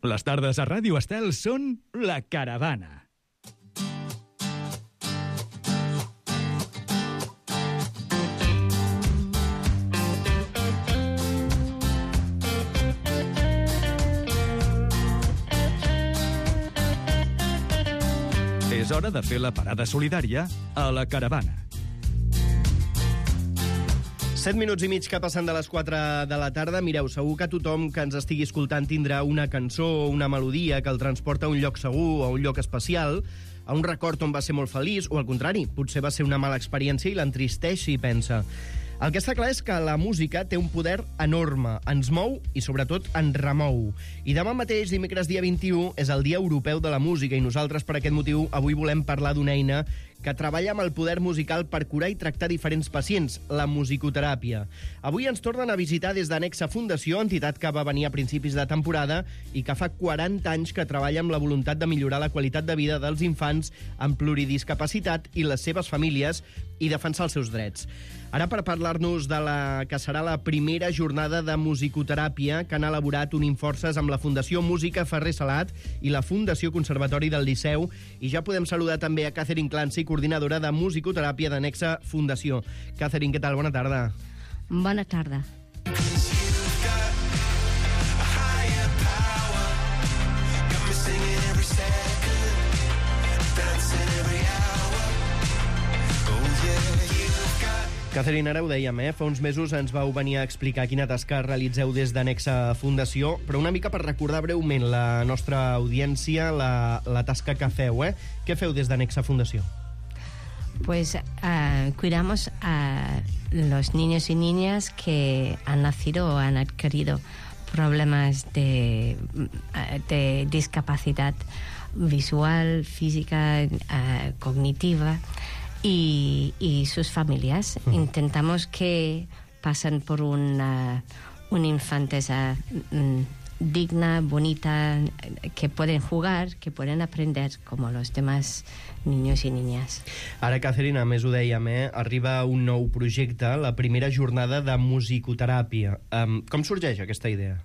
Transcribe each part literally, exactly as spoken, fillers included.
Les tardes a Ràdio Estel són La Caravana. És hora de fer la parada solidària a La Caravana. Set minuts i mig que passen de les quatre de la tarda. Mireu, segur que tothom que ens estigui escoltant tindrà una cançó o una melodia que el transporta a un lloc segur, a un lloc especial, a un record on va ser molt feliç, o al contrari, potser va ser una mala experiència i l'entristeix i pensa. El que està clar és que la música té un poder enorme, ens mou i sobretot ens remou. I demà mateix, dimecres dia vint-i-u, és el Dia Europeu de la Música i nosaltres per aquest motiu avui volem parlar d'una eina que treballa amb el poder musical per curar i tractar diferents pacients, la musicoteràpia. Avui ens tornen a visitar des d'Anexa Fundació, entitat que va venir a principis de temporada i que fa quaranta anys que treballa amb la voluntat de millorar la qualitat de vida dels infants amb pluridiscapacitat i les seves famílies i defensar els seus drets. Ara, per parlar-nos de la que serà la primera jornada de musicoteràpia que han elaborat Unim Forces amb la Fundació Música Ferrer Salat i la Fundació Conservatori del Liceu, i ja podem saludar també a Catherine Clancy, coordinadora de musicoteràpia d'Anexa Fundació. Catherine, què tal? Bona tarda. Bona tarda. Catherine, ara ho dèiem, eh? Fa uns mesos ens vau venir a explicar quina tasca realitzeu des d'Anexa Fundació, però una mica per recordar breument la nostra audiència, la, la tasca que feu, eh? Què feu des d'Anexa Fundació? Pues uh, cuidamos a los niños y niñas que han nacido o han adquirido problemas de, de discapacidad visual, física, uh, cognitiva, Y, y sus familias. Uh-huh. Intentamos que pasen por una, una infantesa mm, digna, bonita, que pueden jugar, que pueden aprender como los demás niños y niñas. Ara, Catherine, a més ho dèiem, eh? Arriba un nou projecte, la primera jornada de musicoteràpia. Um, com sorgeix aquesta idea?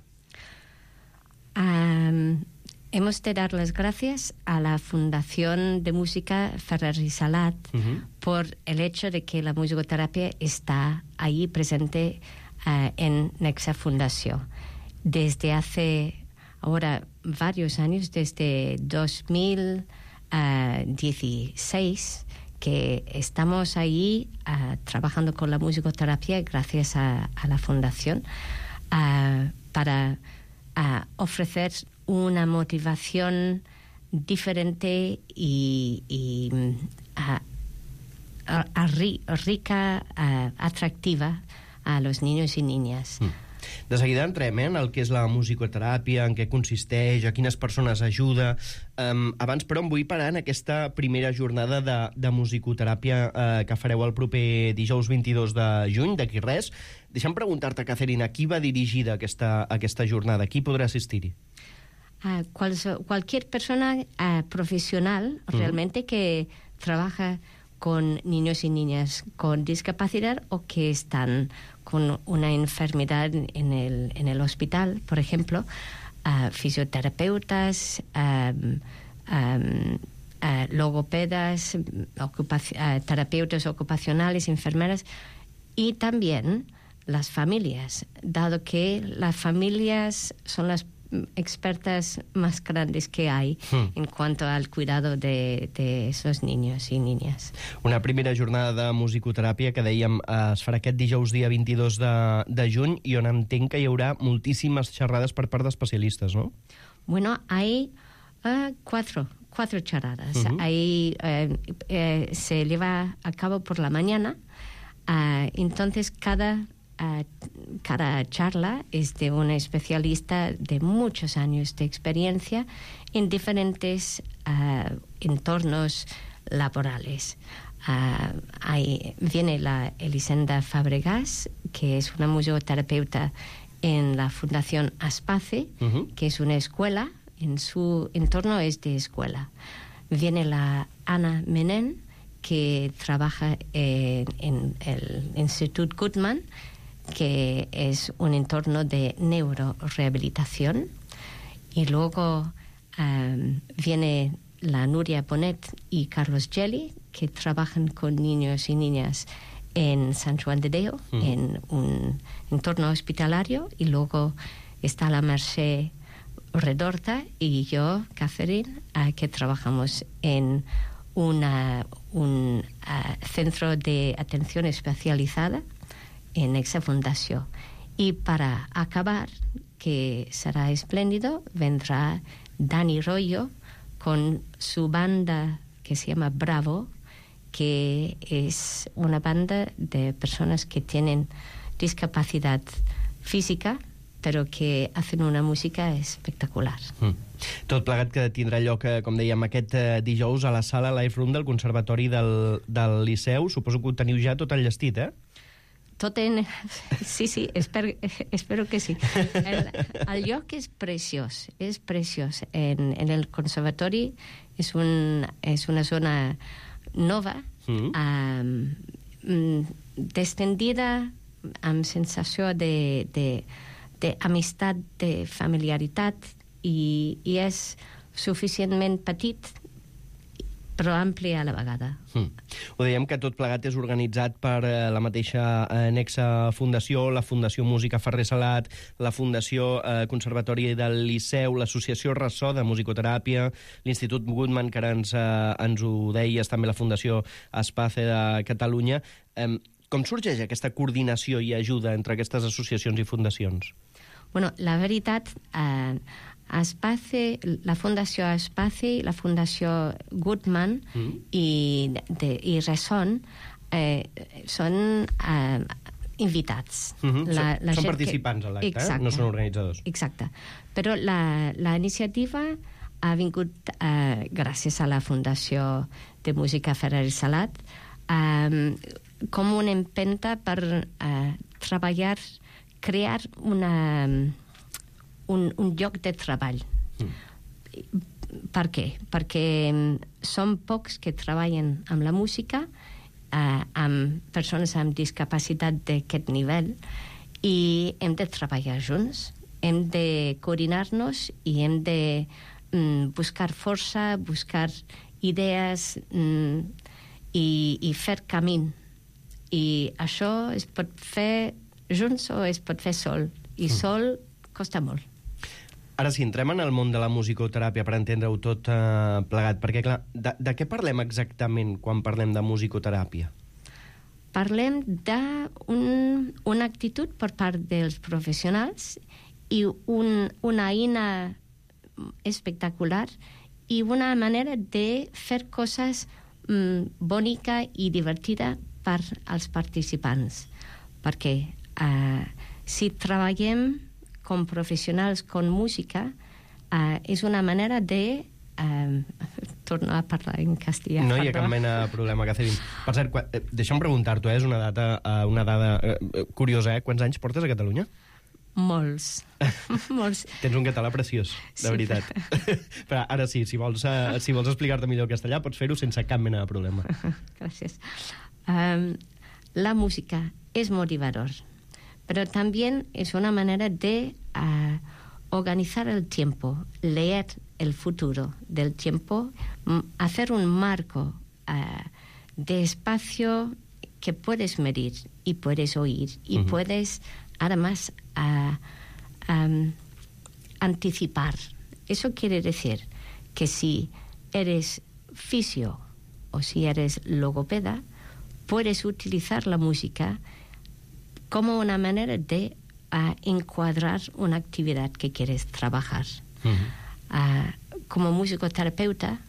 Um, Hemos de dar las gracias a la Fundación de Música Ferrer y Salat uh-huh. por el hecho de que la musicoterapia está ahí presente uh, en Anexa Fundación. Desde hace ahora varios años, desde dos mil dieciséis, que estamos ahí uh, trabajando con la musicoterapia gracias a, a la Fundación uh, para uh, ofrecer una motivación diferente y, y a, a, a ri, rica, a, atractiva a los niños y niñas. Mm. De seguida entrem eh, en el que és la musicoteràpia, en què consisteix, a quines persones ajuda. Um, abans, però, em vull parar en aquesta primera jornada de, de musicoteràpia uh, que fareu el proper dijous vint-i-dos de juny, d'aquí res. Deixa'm preguntar-te, Catherine, a qui va dirigida aquesta, aquesta jornada? Qui podrà assistir-hi? Uh, cual, cualquier persona uh, profesional uh-huh. realmente que trabaja con niños y niñas con discapacidad o que están con una enfermedad en el, en el hospital, por ejemplo, uh, fisioterapeutas, um, um, uh, logopedas, ocupaci- uh, terapeutas ocupacionales, enfermeras, y también las familias, dado que las familias son las expertas más grandes que hay mm. en cuanto al cuidado de, de esos niños y niñas. Una primera jornada de musicoteràpia que dèiem es farà aquest dijous dia vint-i-dos de, de juny i on entenc que hi haurà moltíssimes xerrades per part d'especialistes, ¿no? Bueno, hay uh, cuatro, cuatro charradas. Uh-huh. Ahí uh, uh, se lleva a cabo por la mañana, uh, entonces cada Uh, cada charla es de un especialista de muchos años de experiencia en diferentes uh, entornos laborales. Uh, ahí viene la Elisenda Fabregas, que es una musicoterapeuta en la Fundación Aspace, uh-huh. que es una escuela, en su entorno es de escuela. Viene la Ana Menen, que trabaja en, en el Institut Guttmann, que es un entorno de neurorehabilitación, Y luego um, viene la Nuria Bonet y Carlos Gelli, que trabajan con niños y niñas en San Juan de Déu, uh-huh. en un entorno hospitalario, y luego está la Mercè Redorta y yo, Catherine, uh, que trabajamos en una, un uh, centro de atención especializada en esa fundación. Y para acabar, que será espléndido, vendrá Dani Royo con su banda que se llama Bravo, que es una banda de personas que tienen discapacidad física, però que hacen una música espectacular. Mm. Tot plegat que tindrà lloc, com dèiem, aquest dijous a la sala Live Room del Conservatori del, del Liceu. Suposo que ho teniu ja tot enllestit, eh? Tot en... Sí, sí, espero, espero que sí. El, el lloc és preciós, és preciós. En, en el Conservatori és, un, és una zona nova, mm. um, destendida, amb sensació de... de d'amistat, de familiaritat, i, i és suficientment petit però ampli a la vegada. Mm. Ho dèiem que tot plegat és organitzat per eh, la mateixa eh, Nexa Fundació, la Fundació Música Ferrer Salat, la Fundació eh, Conservatori del Liceu, l'Associació Ressò de Musicoteràpia, l'Institut Goodman, que ara ens, eh, ens ho deies, també la Fundació Espace de Catalunya. Eh, com sorgeix aquesta coordinació i ajuda entre aquestes associacions i fundacions? Bueno, la veritat, eh, Espace, la Fundació Espace, la Fundació Goodman mm. i, de, i Resson eh, són eh, invitats. Mm-hmm. La, la són participants que... a l'acte, eh? No són organitzadors. Exacte. Però la, la iniciativa ha vingut eh, gràcies a la Fundació de Música Ferrer Salat eh, com una empenta per eh, treballar, crear una, un, un lloc de treball. Mm. Per què? Perquè som pocs que treballen amb la música, eh, amb persones amb discapacitat d'aquest nivell, i hem de treballar junts, hem de coordinar-nos i hem de mm, buscar força, buscar idees mm, i, i fer camí. I això es pot fer junts o es pot fer sol, i sol costa molt. Ara sí, entrem en el món de la musicoteràpia per entendre-ho tot eh, plegat, perquè clar, de, de què parlem exactament quan parlem de musicoteràpia? Parlem d'una un, actitud per part dels professionals i un, una eina espectacular i una manera de fer coses mm, bonica i divertida per als participants, perquè eh, si treballem com professionals con música eh, és una manera de eh, tornar a parlar en castellà. No hi ha cap mena de problema, Catherine. Per cert, quan, eh, deixa'm preguntar-t'ho, eh, és una data, eh, una dada eh, curiosa, eh? Quants anys portes a Catalunya? Molts. Molts. Tens un català preciós, de sí, veritat. Però... però ara sí, si vols, uh, si vols explicar-te millor el castellà, pots fer-ho sense cap mena de problema. Gràcies. Um, la música és motivador, pero también es una manera de uh, organizar el tiempo, leer el futuro del tiempo, hacer un marco uh, de espacio que puedes medir y puedes oír y uh-huh. puedes además uh, um, anticipar. Eso quiere decir que si eres fisio o si eres logopeda, puedes utilizar la música como una manera de uh, encuadrar una actividad que quieres trabajar. Uh-huh. Uh, como musicoterapeuta,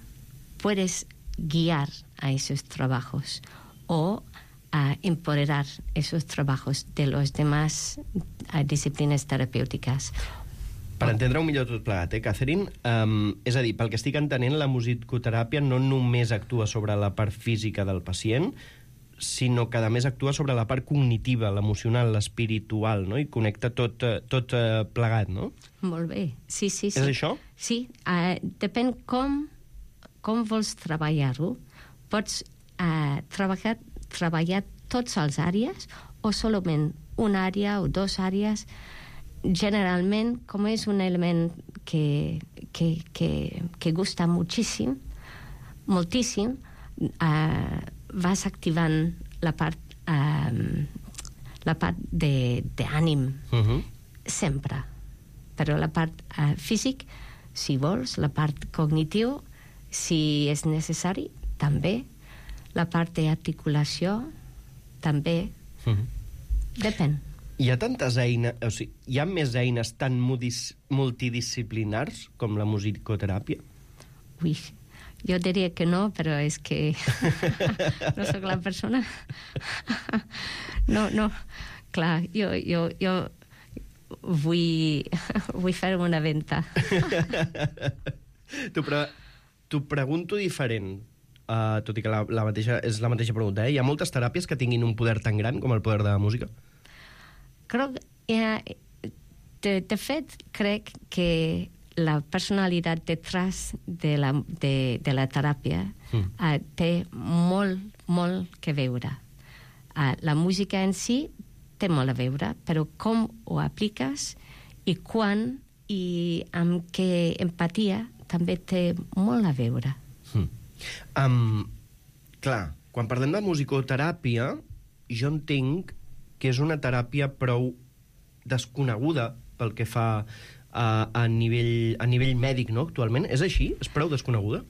puedes guiar a esos trabajos o uh, empoderar esos trabajos de los demás uh, disciplinas terapèutiques. Per entendre-ho millor tot plegat, eh, Catherine? Um, és a dir, pel que estic entenent, la musicoteràpia no només actua sobre la part física del pacient, sinó que a més actua sobre la part cognitiva, l'emocional, l'espiritual, no? I connecta tot, tot uh, plegat, no? Molt bé, sí, sí, sí. És això? Sí, uh, depèn com, com vols treballar-ho. Pots uh, treballar, treballar tots els àrees o solament una àrea o dues àrees. generalment, com és un element que, que, que, que gusta moltíssim, moltíssim, uh, vas activant la part, uh, la part d'ànim, uh-huh. sempre. Però la part uh, físic, si vols, la part cognitiu, si és necessari, també. La part d'articulació, també. Uh-huh. Depèn. Hi ha tantes eines, o sigui, hi ha més eines tan multidisciplinars com la musicoteràpia? Ui, jo diria que no, però és que no sóc la persona. No, no, clar, jo, jo, jo vull, vull fer una venta. T'ho pre pregunto diferent, uh, tot i que la, la mateixa, és la mateixa pregunta. Eh? Hi ha moltes teràpies que tinguin un poder tan gran com el poder de la música? Crec, eh, de, de fet, crec que la personalitat detrás de la, de, de la teràpia mm. eh, té molt, molt que veure. Eh, la música en si té molt a veure, però com ho apliques i quan i amb què empatia també té molt a veure. Mm. Um, clar, quan parlem de musicoteràpia, jo entenc que és una teràpia prou desconeguda pel que fa a, a, nivell, a nivell mèdic, no?, actualment. És així? És prou desconeguda?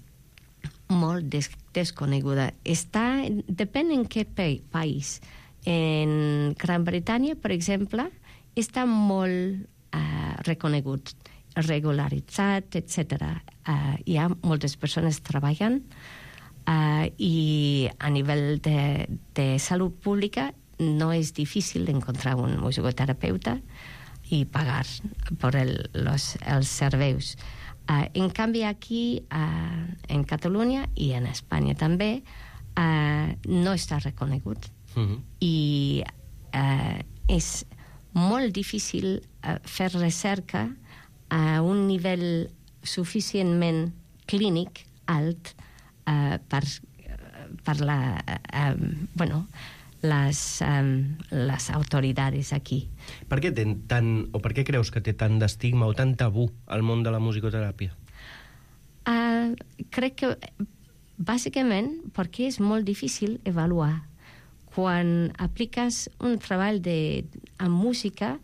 Molt des desconeguda. Està, depèn en què país. En Gran Bretanya, per exemple, està molt uh, reconegut, regularitzat, etcètera. Uh, hi ha moltes persones treballant uh, i a nivell de, de salut pública no és difícil encontrar un musicoterapeuta i pagar per el, los, els serveis. Uh, en canvi, aquí, uh, en Catalunya i en Espanya també, uh, no està reconegut. Uh-huh. I uh, és molt difícil uh, fer recerca a un nivell suficientment clínic alt uh, per, per la... Uh, bueno... Les, um, les autoritats aquí. Per què, ten tant, o per què creus que té tant d'estigma o tant tabú al món de la musicoteràpia? Uh, crec que, bàsicament, perquè és molt difícil avaluar. Quan apliques un treball de, amb música,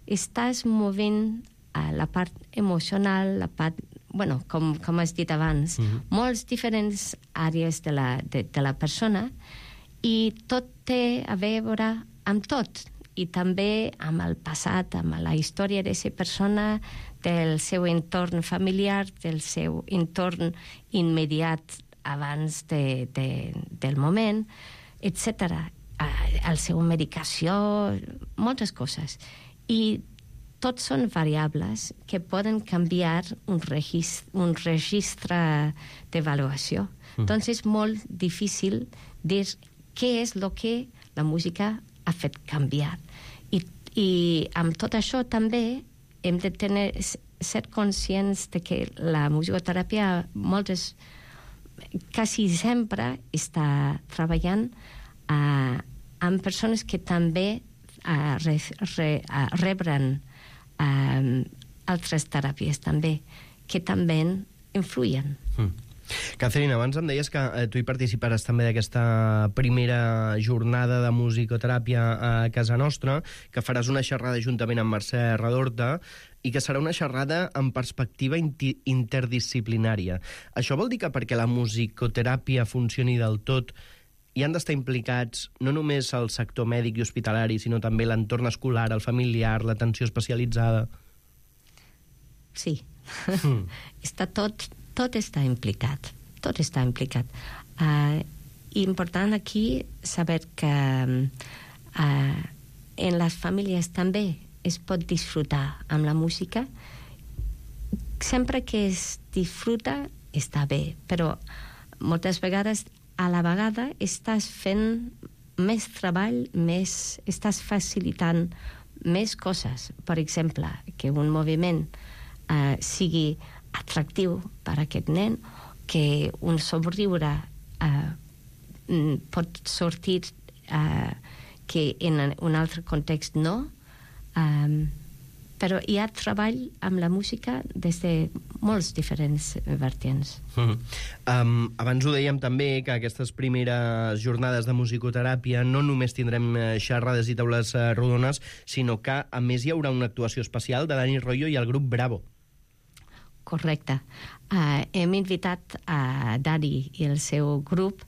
estàs movent uh, la part emocional, la part, bueno, com, com has dit abans, uh-huh. molts diferents àrees de la, de, de la persona, i tot té a veure amb tot, i també amb el passat, amb la història d'aquesta persona, del seu entorn familiar, del seu entorn immediat abans de, de, del moment, etcètera. La seva medicació, moltes coses. I tots són variables que poden canviar un registre, un registre d'avaluació. Mm. Doncs és molt difícil dir què és el que la música ha fet canviar. I, i amb tot això també hem de tenir, ser conscients de que la musicoteràpia moltes, quasi sempre està treballant uh, amb persones que també uh, re, re, uh, rebren uh, altres teràpies també, que també influïen. Mm. Catherine, abans em deies que eh, tu hi participaràs també d'aquesta primera jornada de musicoteràpia a casa nostra, que faràs una xerrada juntament amb Mercè Redorta i que serà una xerrada amb perspectiva interdisciplinària. Això vol dir que perquè la musicoteràpia funcioni del tot hi han d'estar implicats no només el sector mèdic i hospitalari, sinó també l'entorn escolar, el familiar, l'atenció especialitzada? Sí. Mm. Està tot... Tot està implicat, tot està implicat. Uh, important aquí saber que uh, en les famílies també es pot disfrutar amb la música. Sempre que es disfruta està bé, però moltes vegades a la vegada estàs fent més treball, més, estàs facilitant més coses. Per exemple, que un moviment uh, sigui atractiu per a aquest nen, que un somriure uh, pot sortir uh, que en un altre context no, um, però hi ha treball amb la música des de molts diferents vertients. Mm. Um, abans ho dèiem també, que aquestes primeres jornades de musicoteràpia no només tindrem xerrades i taules rodones, sinó que, a més, hi haurà una actuació especial de Dani Royo i el grup Bravo. Correcte. Uh, hem invitat a Dani i el seu grup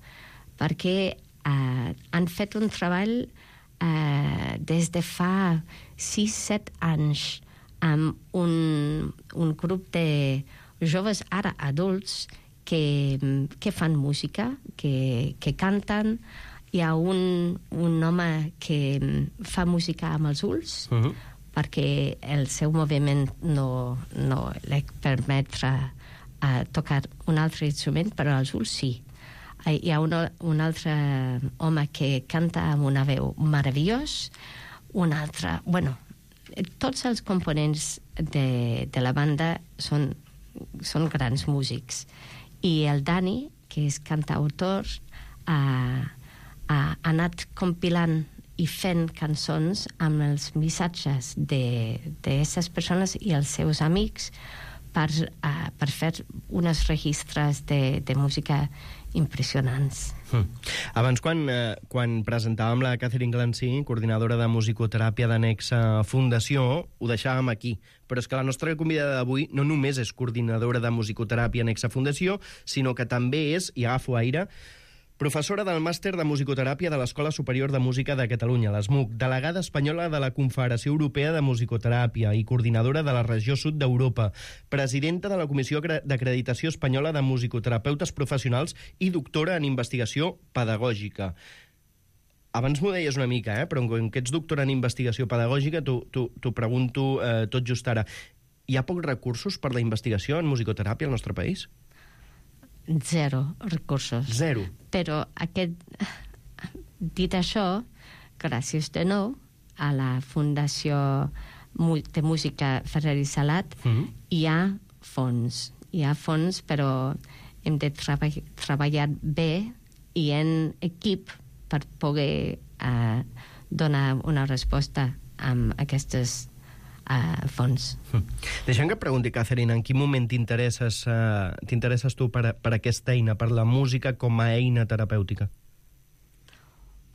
perquè uh, han fet un treball uh, des de fa sis set anys amb un, un grup de joves ara adults que, que fan música, que, que canten. Hi ha un, un home que fa música amb els ulls, uh-huh. perquè el seu moviment no, no li permetre uh, tocar un altre instrument, però els ulls sí. Uh, hi ha un, un altre home que canta amb una veu meravellós, un altre... Bueno, tots els components de, de la banda són, són grans músics. I el Dani, que és cantautor, ha, ha anat compilant i fent cançons amb els missatges d'aquestes persones i els seus amics per, uh, per fer uns registres de, de música impressionants. Mm. Abans, quan, eh, quan presentàvem la Catherine Glancy, coordinadora de musicoteràpia d'Anexa Fundació, ho deixàvem aquí. Però és que la nostra convidada d'avui no només és coordinadora de musicoteràpia Anexa Fundació, sinó que també és, i agafo aire, professora del màster de musicoteràpia de l'Escola Superior de Música de Catalunya, l'ESMUC, delegada espanyola de la Confederació Europea de Musicoteràpia i coordinadora de la regió sud d'Europa, presidenta de la Comissió d'Acreditació Espanyola de Musicoterapeutes Professionals i doctora en investigació pedagògica. Abans m'ho deies una mica, eh? Però com que ets doctora en investigació pedagògica, t'ho pregunto eh, tot just ara. Hi ha pocs recursos per la investigació en musicoteràpia al nostre país? Zero recursos. Zero. Però aquest, dit això, gràcies de nou a la Fundació de Música Ferrer i Salat, mm-hmm. hi ha fons. Hi ha fons, però hem de treball, treballar bé i en equip per poder uh, donar una resposta amb aquestes Uh, fons. Mm. Deixa'm que et pregunti, Catherine, en quin moment t'interesses uh, t'interesses tu per, per aquesta eina, per la música com a eina terapèutica?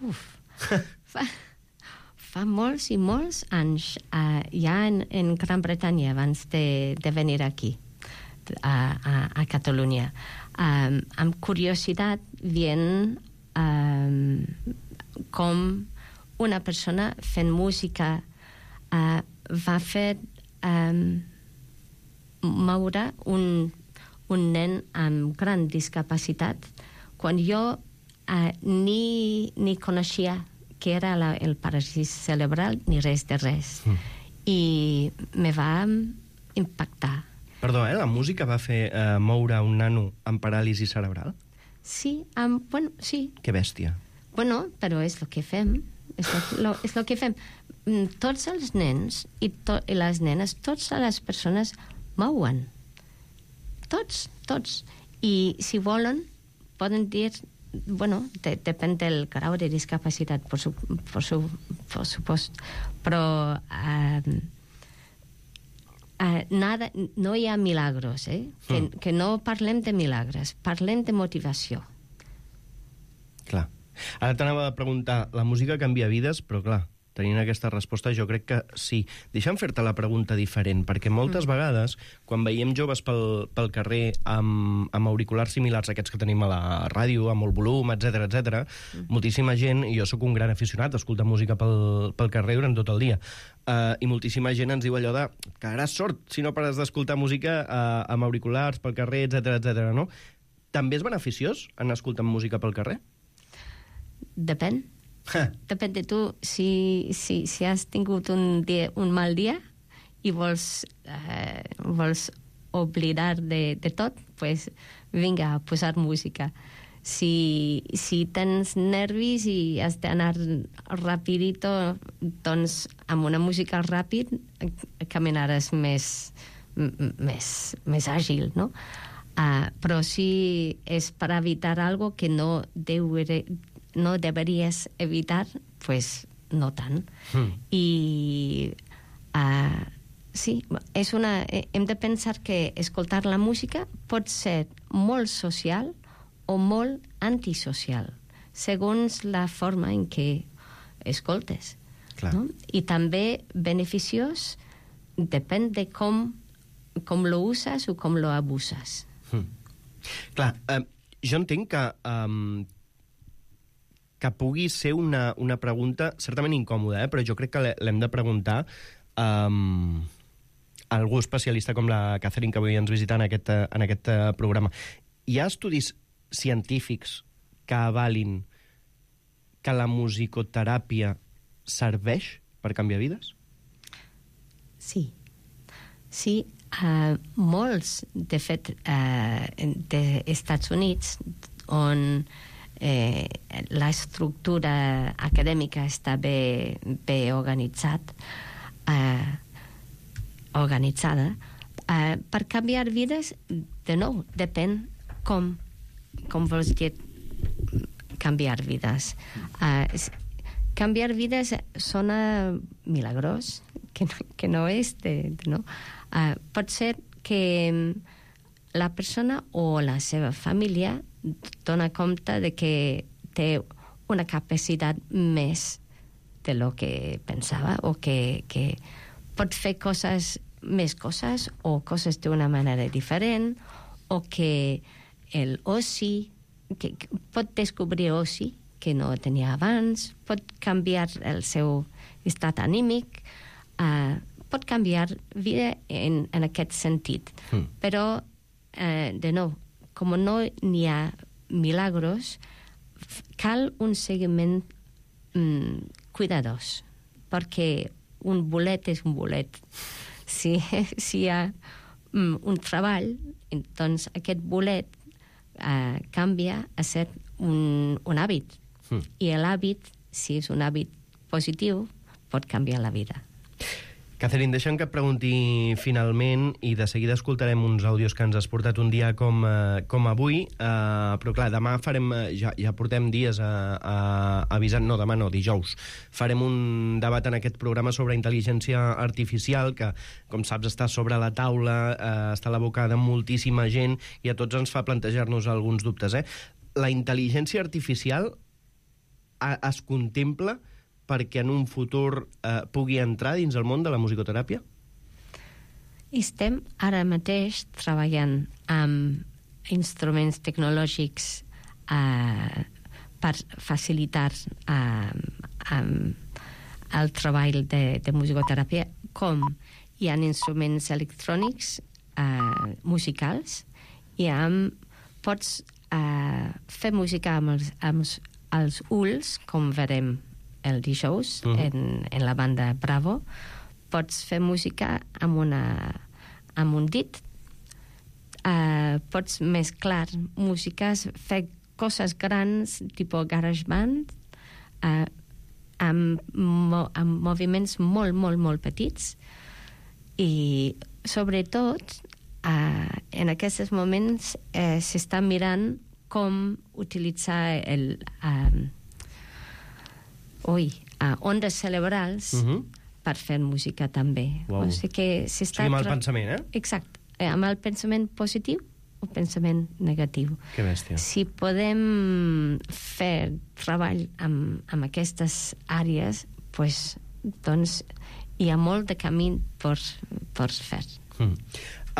Uf, fa, fa molts i molts anys, uh, ja en, en Gran Bretanya, abans de, de venir aquí, a, a, a Catalunya. Um, amb curiositat, veient um, com una persona fent música uh, va fer um, moure un, un nen amb gran discapacitat quan jo uh, ni, ni coneixia que era la, el paràlisi cerebral ni res de res. Mm. I me va impactar. Perdó, eh? La música va fer uh, moure un nano amb paràlisi cerebral? Sí, um, bueno, sí. Que bèstia. Bueno, però és el que fem. És el, és el que fem. Tots els nens i, to, i les nenes, totes les persones mouen. Tots, tots. I si volen, poden dir... Bueno, de, depèn del grau de discapacitat, por, su, por, su, por supost. Però uh, uh, nada, no hi ha milagros, eh? Que, mm. que no parlem de milagres, parlem de motivació. Clar. Ara t'anava a preguntar, la música canvia vides, però clar, tenint aquesta resposta jo crec que sí. Deixa'm fer-te la pregunta diferent, perquè moltes mm. vegades, quan veiem joves pel, pel carrer amb, amb auriculars similars a aquests que tenim a la ràdio, amb molt volum, etcètera, etcètera, mm. moltíssima gent, i jo sóc un gran aficionat a escoltar música pel, pel carrer durant tot el dia, uh, i moltíssima gent ens diu allò de quedaràs sord si no pares d'escoltar música uh, amb auriculars pel carrer, etcètera, etcètera, no? També és beneficiós anar escoltant música pel carrer? Depèn. Depèn de tu. Si, si, si has tingut un, dia, un mal dia i vols, eh, vols oblidar de, de tot, pues vinga, a posar música. Si, si tens nervis i has d'anar rapidito, doncs amb una música ràpid caminaràs més, més, més àgil, no? Uh, però si és per evitar algo que no deu no deberías evitar, pues no tant. Mm. I uh, Sí, és una, hem de pensar que escoltar la música pot ser molt social o molt antisocial, segons la forma en què escoltes. Clar. No? I també beneficiós depèn de com, com lo uses o com lo abuses. Mm. Clar, eh, jo entenc que, um, que pugui ser una, una pregunta certament incòmoda, eh, però jo crec que l'hem de preguntar um, a algú especialista com la Catherine, que avui ens visita en aquest, en aquest uh, programa. Hi ha estudis científics que avalin que la musicoteràpia serveix per canviar vides? Sí. Sí, uh, molts, de fet, uh, dels Estats Units, on eh, l'estructura acadèmica està bé, bé organitzat, uh, organitzada, uh, per canviar vides, de nou, depèn com, com vols dir canviar vides. Uh, canviar vides sona milagrós, que no, que no és de, de no. Uh, pot ser que la persona o la seva família dona compte de que té una capacitat més de lo que pensava, o que, que pot fer coses, més coses, o coses d'una manera diferent, o que el oci, que, que pot descobrir oci que no tenia abans, pot canviar el seu estat anímic, uh, pot canviar vida en, en aquest sentit. Mm. Però, eh, de nou, com no n'hi ha milagros, cal un seguiment mm, cuidadós, perquè un bolet és un bolet. Si, si hi ha mm, un treball, doncs aquest bolet eh, canvia a ser un, un hàbit. Mm. I l'hàbit, si és un hàbit positiu, pot canviar la vida. Catherine, deixa'm que et pregunti finalment, i de seguida escoltarem uns àudios que ens has portat un dia com, eh, com avui, eh, però clar, demà farem, ja, ja portem dies a, a, avisant, no, demà no, dijous, farem un debat en aquest programa sobre intel·ligència artificial, que, com saps, està sobre la taula, eh, està a la boca de moltíssima gent, i a tots ens fa plantejar-nos alguns dubtes. Eh? La intel·ligència artificial a, es contempla perquè en un futur eh, pugui entrar dins el món de la musicoteràpia? Estem ara mateix treballant amb instruments tecnològics eh, per facilitar eh, eh, el treball de, de musicoteràpia, com hi ha instruments electrònics eh, musicals, i amb, pots eh, fer música amb els, amb els ulls, com verem el dijous, uh-huh. en, en la banda Bravo. Pots fer música amb, una, amb un dit. Uh, pots mesclar músiques, fer coses grans, tipus GarageBand, uh, amb, mo, amb moviments molt, molt, molt petits. I, sobretot, uh, en aquests moments uh, s'està mirant com utilitzar el... Uh, Ui, uh, ondes cerebrals uh-huh. per fer música també. Wow. O sigui que s'està... O sigui, amb el tra... pensament, eh? Exacte. Eh, amb el pensament positiu o pensament negatiu. Que bèstia. Si podem fer treball amb, amb aquestes àrees, pues, doncs hi ha molt de camí per, per fer. Mm.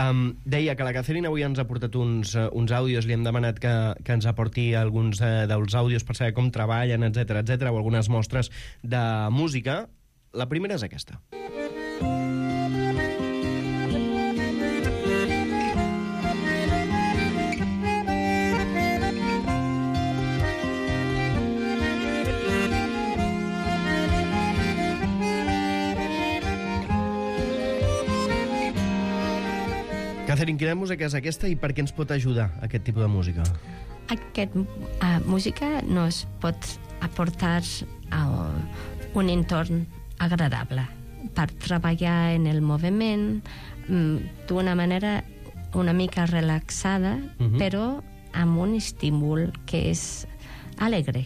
Um, deia que la Catherine avui ens ha portat uns, uh, uns àudios, li hem demanat que, que ens aporti alguns uh, dels àudios per saber com treballen, etcètera, etcètera, o algunes mostres de música. La primera és aquesta. Catherine, quina música és aquesta i per què ens pot ajudar aquest tipus de música? Aquest uh, música nos pot aportar a un entorn agradable per treballar en el moviment um, d'una manera una mica relaxada, uh-huh. però amb un estímul que és alegre,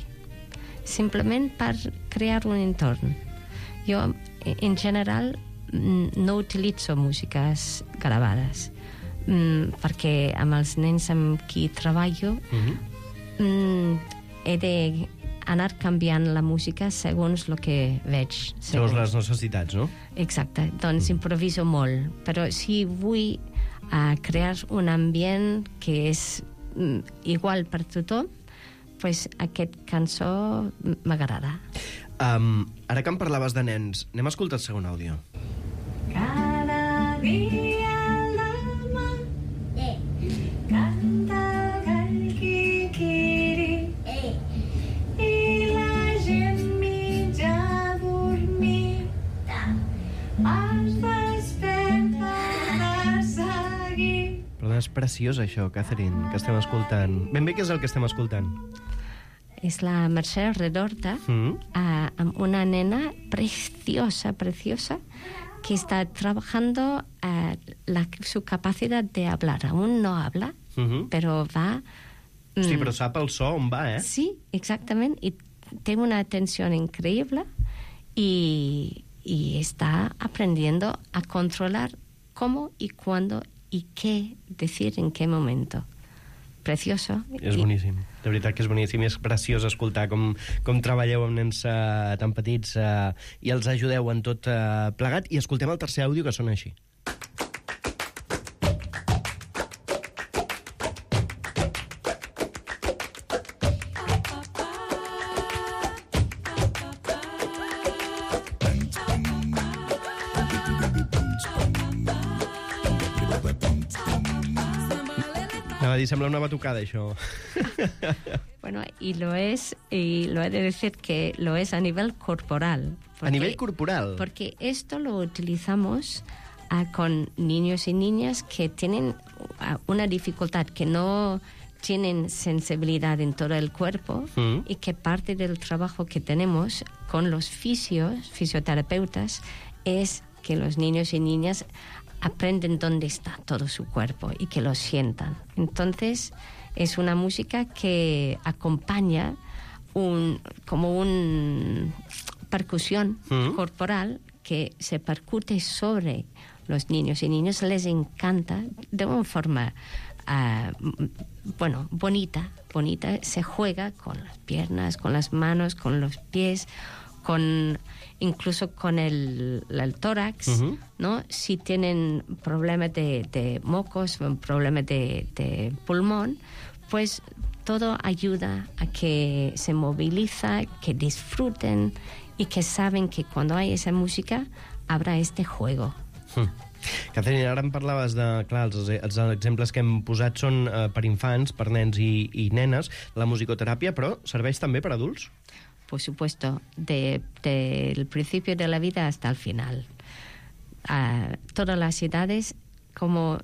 simplement per crear un entorn. Jo, en general, no utilitzo músiques gravades, mm, perquè amb els nens amb qui treballo mm-hmm. mm, he d'anar canviant la música segons el que veig. Segons, segons les necessitats, no? Exacte, doncs mm. improviso molt, però si vull uh, crear un ambient que és mm, igual per tothom, pues aquest cançó m'agrada. Um, ara que em parlaves de nens, anem a escoltar el segon àudio. Cada dia al demà eh. canta el gall quiquiri eh. i la gent mitja dormida es desperta de seguir. Però és preciós això, Catherine, que estem escoltant. Ben bé què és el que estem escoltant? Es la Mercè Redorta, mm. uh, amb una nena preciosa, preciosa, que está trabajando uh, la, su capacidad de hablar. Aún no habla, mm-hmm. pero va... Mm, sí, però sap el so on va, eh? Sí, exactament, y tiene una atención increíble y, y está aprendiendo a controlar cómo y cuándo y qué decir en qué momento. Precioso. És boníssim, de veritat que és boníssim i és preciós escoltar com, com treballeu amb nens uh, tan petits uh, i els ajudeu en tot uh, plegat. I escoltem el tercer àudio que sona així. Anava a dir, sembla una batucada, això. Bueno, y lo es, y lo he de decir que lo es a nivel corporal. Porque, ¿a nivel corporal? Porque esto lo utilizamos uh, con niños y niñas que tienen uh, una dificultad, que no tienen sensibilidad en todo el cuerpo mm. y que parte del trabajo que tenemos con los fisios, fisioterapeutas, es que los niños y niñas aprenden dónde está todo su cuerpo y que lo sientan. Entonces, es una música que acompaña un, como una percusión mm. corporal que se percute sobre los niños y niñas. Les encanta de una forma uh, bueno, bonita, bonita. Se juega con las piernas, con las manos, con los pies, con incluso con el, el tórax, uh-huh. ¿no? Si tienen problemas de, de mocos, problemas de, de pulmón, pues todo ayuda a que se moviliza, que disfruten y que saben que cuando hay esa música habrá este juego. Hmm. Catherine, ara em parlaves de... Clar, els, els exemples que hem posat són eh, per infants, per nens i, i nenes, la musicoteràpia, però serveix també per adults? Por supuesto, de, de el principio de la vida hasta el final. Uh, todas las edades, como,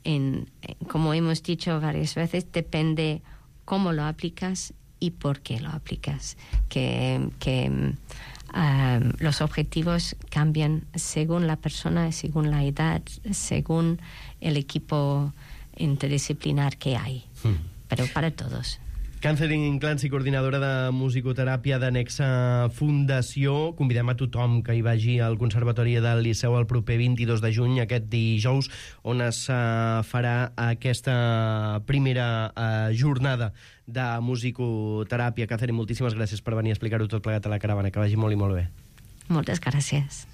en, como hemos dicho varias veces, depende cómo lo aplicas y por qué lo aplicas. Que, que uh, los objetivos cambian según la persona, según la edad, según el equipo interdisciplinar que hay. Hmm. Pero para todos. Catherine Clancy, coordinadora de musicoteràpia de Nexa Fundació. Convidem a tothom que hi vagi al Conservatori del Liceu el proper vint-i-dos de juny, aquest dijous, on es uh, farà aquesta primera uh, jornada de musicoteràpia. Catherine, moltíssimes gràcies per venir a explicar-ho tot plegat a la caravana. Que vagi molt i molt bé. Moltes gràcies.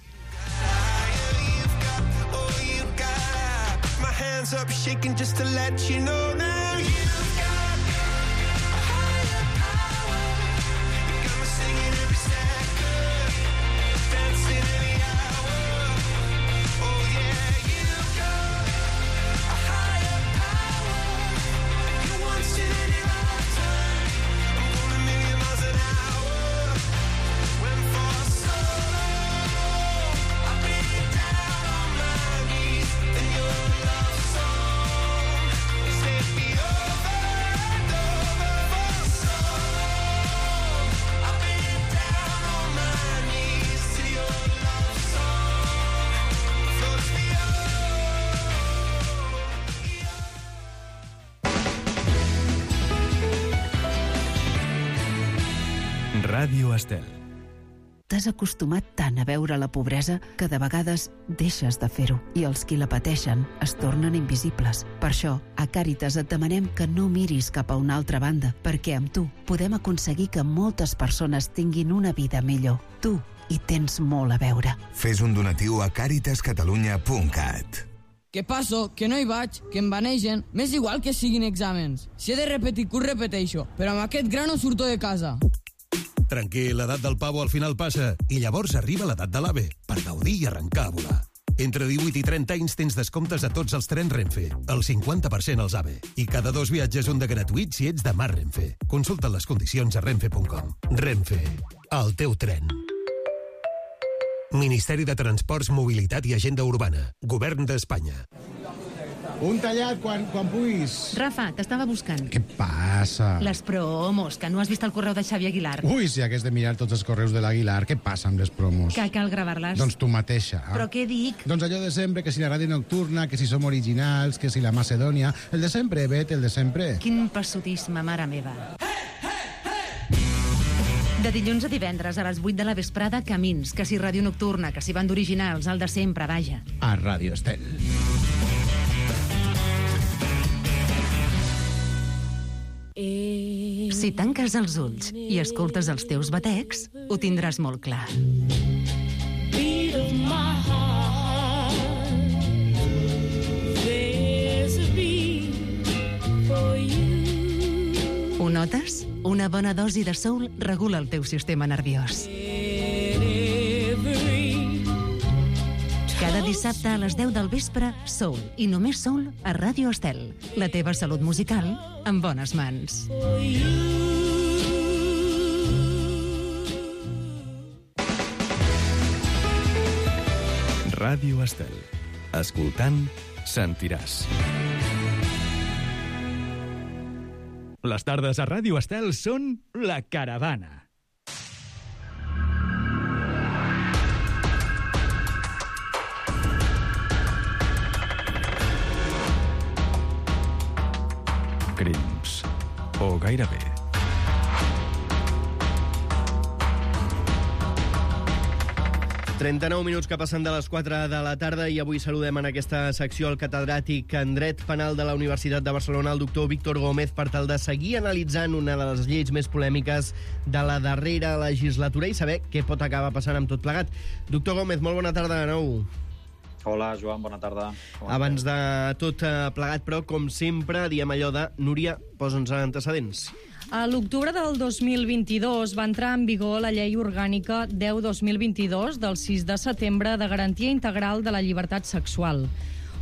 Ràdio Estel. t'has acostumat tant a veure la pobresa que de vegades deixes de fer-ho i els qui la pateixen es tornen invisibles. Per això, a Càritas et demanem que no miris cap a una altra banda, perquè amb tu podem aconseguir que moltes persones tinguin una vida millor. Tu hi tens molt a veure. Fes un donatiu a càritas catalunya punt cat. Què passo? Que no hi vaig, que em vanegen. M'és igual que siguin exàmens. Si he de repetir curs, repeteixo. Però amb aquest gra no surto de casa. Tranquil, l'edat del pavo al final passa i llavors arriba l'edat de l'AVE per gaudir i arrencar a volar. Entre divuit i trenta anys tens descomptes a tots els trens Renfe, el cinquanta per cent als AVE. I cada dos viatges un de gratuït si ets de Mar Renfe. Consulta les condicions a renfe punt com. Renfe, el teu tren. Ministeri de Transports, Mobilitat i Agenda Urbana. Govern d'Espanya. Un tallat quan, quan puguis. Rafa, t'estava buscant. Què passa? Les promos, que no has vist el correu de Xavi Aguilar. Ui, si hagués de mirar tots els correus de l'Aguilar, què passa amb les promos? Que cal gravar-les. Doncs tu mateixa. Però què dic? Doncs allò de sempre, que si la ràdio nocturna, que si som originals, que si la Macedònia... El de sempre, Bet, el de sempre. Quin passotisme, mare meva. De dilluns a divendres a les vuit de la vesprada, Camins, que si ràdio nocturna, que si banda originals, el de sempre, vaja. A Ràdio Estel. Si tanques els ulls i escoltes els teus batecs, ho tindràs molt clar. Ho notes? Una bona dosi de soul regula el teu sistema nerviós. Cada dissabte a les deu del vespre, Soul, i només Soul a Ràdio Estel. La teva salut musical en bones mans. Ràdio Estel. Escoltant, sentiràs. Les tardes a Ràdio Estel són La Caravana. Crims. O gairebé. trenta-nou minuts que passen de les quatre de la tarda i avui saludem en aquesta secció el catedràtic en Dret Penal de la Universitat de Barcelona, el doctor Víctor Gómez, per tal de seguir analitzant una de les lleis més polèmiques de la darrera legislatura i saber què pot acabar passant amb tot plegat. Doctor Gómez, molt bona tarda de nou. Hola, Joan, bona tarda. Abans de tot plegat, però, com sempre, diem allò de Núria, posa'ns antecedents. A l'octubre del dos mil vint-i-dos va entrar en vigor la Llei Orgànica deu dos mil vint-i-dos del sis de setembre de Garantia Integral de la Llibertat Sexual.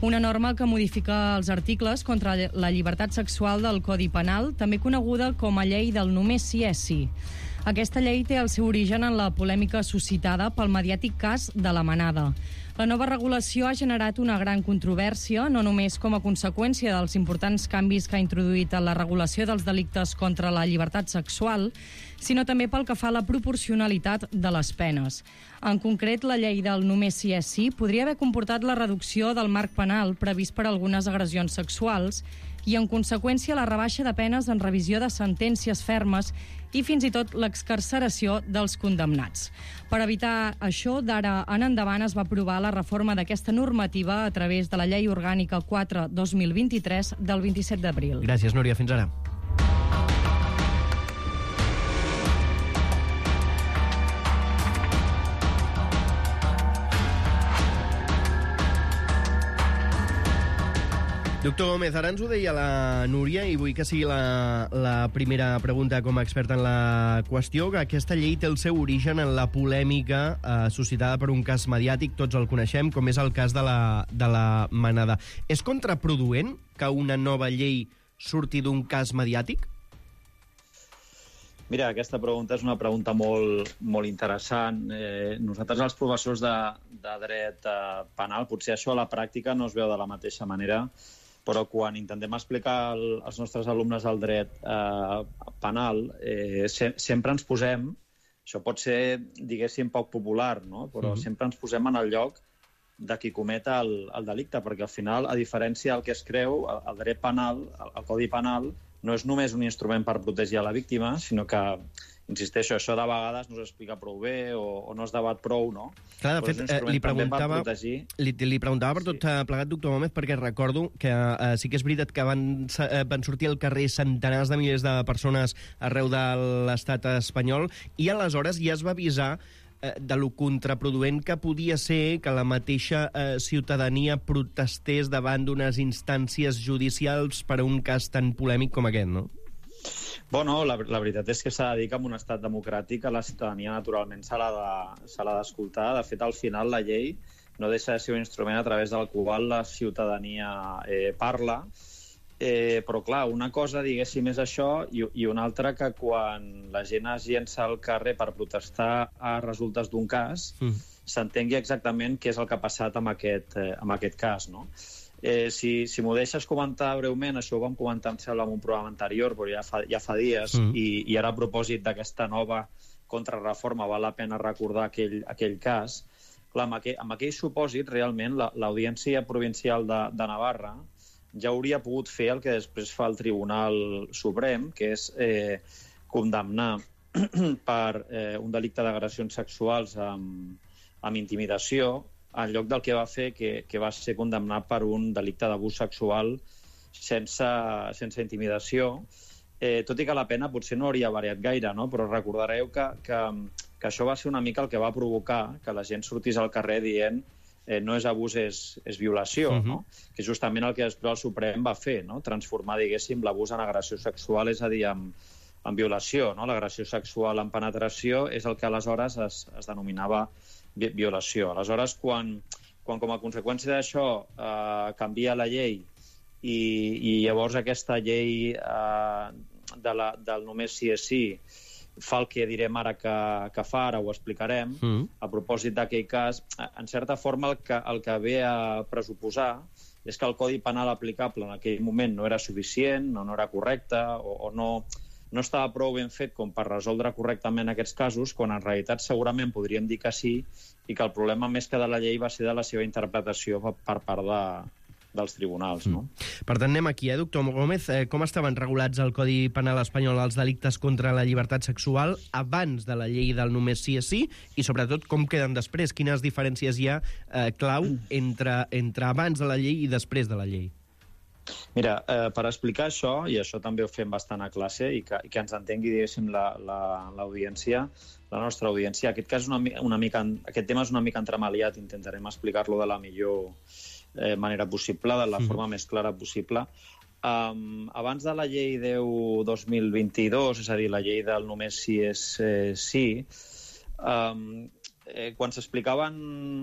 Una norma que modifica els articles contra la llibertat sexual del Codi Penal, també coneguda com a Llei del només sí és sí. Aquesta llei té el seu origen en la polèmica suscitada pel mediàtic cas de la Manada. La nova regulació ha generat una gran controvèrsia, no només com a conseqüència dels importants canvis que ha introduït en la regulació dels delictes contra la llibertat sexual, sinó també pel que fa a la proporcionalitat de les penes. En concret, la llei del només sí és sí podria haver comportat la reducció del marc penal previst per algunes agressions sexuals i, en conseqüència, la rebaixa de penes en revisió de sentències fermes i fins i tot l'excarceració dels condemnats. Per evitar això, d'ara en endavant es va aprovar la reforma d'aquesta normativa a través de la Llei Orgànica quatre dos mil vint-i-tres del vint-i-set d'abril. Gràcies, Núria. Fins ara. Doctor Gómez, ara ens ho deia la Núria i vull que sigui la, la primera pregunta com a expert en la qüestió, que aquesta llei té el seu origen en la polèmica eh, suscitada per un cas mediàtic, tots el coneixem, com és el cas de la, de la Manada. És contraproduent que una nova llei surti d'un cas mediàtic? Mira, aquesta pregunta és una pregunta molt, molt interessant. Eh, nosaltres, els professors de, de dret eh, penal, potser això a la pràctica no es veu de la mateixa manera, però quan intentem explicar el, als nostres alumnes el dret eh, penal, eh, se, sempre ens posem, això pot ser, diguéssim, poc popular, no? Però mm-hmm. sempre ens posem en el lloc de qui comet el, el delicte, perquè al final, a diferència del que es creu, el, el dret penal, el, el Codi Penal, no és només un instrument per protegir a la víctima, sinó que, insisteixo, això de vegades no s'explica prou bé o, o no es debat prou, no? Clar, de fet, eh, li, preguntava, li, li preguntava per tot sí. plegat, doctor Gómez, perquè recordo que eh, sí que és veritat que van, eh, van sortir al carrer centenars de milers de persones arreu de l'estat espanyol, i aleshores ja es va avisar eh, de lo contraproduent que podia ser que la mateixa eh, ciutadania protestés davant d'unes instàncies judicials per a un cas tan polèmic com aquest, no? Bueno, la, la veritat és que s'ha de dir que en un estat democràtic a la ciutadania naturalment se l'ha de, se l'ha d'escoltar. De fet, al final la llei no deixa de ser un instrument a través del qual la ciutadania eh, parla, eh, però clar, una cosa, diguéssim, és això, i, i una altra que quan la gent es llença al carrer per protestar a resultes d'un cas, mm. s'entengui exactament què és el que ha passat amb aquest, eh, amb aquest cas, no? Eh, si si m'ho deixes comentar breument, això ho vam comentar, em sembla, en un programa anterior, però ja fa, ja fa dies, mm. i, i ara a propòsit d'aquesta nova contrarreforma val la pena recordar aquell, aquell cas. Clar, amb aquell, amb aquell supòsit, realment, l'Audiència la, Provincial de, de Navarra ja hauria pogut fer el que després fa el Tribunal Suprem, que és eh, condemnar per eh, un delicte d'agressions sexuals amb, amb intimidació, en lloc del que va fer, que, que va ser condemnat per un delicte d'abús sexual sense, sense intimidació, eh, tot i que la pena potser no hauria variat gaire, no? Però recordareu que, que, que això va ser una mica el que va provocar que la gent sortís al carrer dient eh, no és abús, és, és violació, uh-huh. no? Que justament el que després el Suprem va fer, no? Transformar, diguéssim, l'abús en agressió sexual, és a dir, en, en violació, no? L'agressió sexual en penetració és el que aleshores es, es denominava violació. Aleshores, quan, quan com a conseqüència d'això eh, canvia la llei i, i llavors aquesta llei eh, de la, del només sí és sí fa el que direm ara que, que fa, ara ho explicarem, mm. a propòsit d'aquell cas, en certa forma el que, el que ve a pressuposar és que el Codi Penal aplicable en aquell moment no era suficient, no, no era correcte, o, o no... no estava prou ben fet com per resoldre correctament aquests casos, quan en realitat segurament podríem dir que sí, i que el problema més que de la llei va ser de la seva interpretació per part de, dels tribunals. No? Mm. Per tant, anem aquí, eh, doctor Gómez. Eh, com estaven regulats al Codi Penal espanyol els delictes contra la llibertat sexual abans de la llei del només sí és sí, i sobretot com queden després? Quines diferències hi ha eh, clau entre, entre abans de la llei i després de la llei? Mira, eh, per explicar això, i això també ho fem bastant a classe, i que, i que ens entengui, diguéssim, l'audiència, la, la, la nostra audiència, aquest, cas una, una mica, aquest tema és una mica entremaliat, intentarem explicar-lo de la millor eh, manera possible, de la mm. forma més clara possible. Um, abans de la llei deu dos mil vint-i-dos, és a dir, la llei del només sí és eh, sí, um, Eh, quan s'explicaven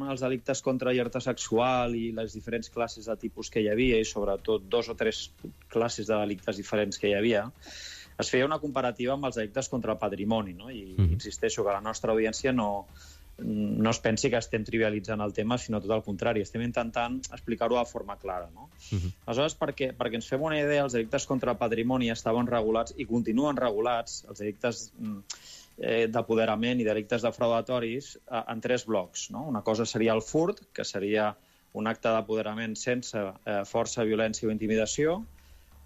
els delictes contra la llibertat sexual i les diferents classes de tipus que hi havia, i sobretot dos o tres classes de delictes diferents que hi havia, es feia una comparativa amb els delictes contra el patrimoni, no? I mm. insisteixo que la nostra audiència no, no es pensi que estem trivialitzant el tema, sinó tot el contrari, estem intentant explicar-ho de forma clara, no? Mm-hmm. Aleshores, perquè, perquè ens fem una idea, els delictes contra el patrimoni estaven regulats i continuen regulats, els delictes d'apoderament i delictes defraudatoris, en tres blocs, no? Una cosa seria el furt, que seria un acte d'apoderament sense eh, força, violència o intimidació.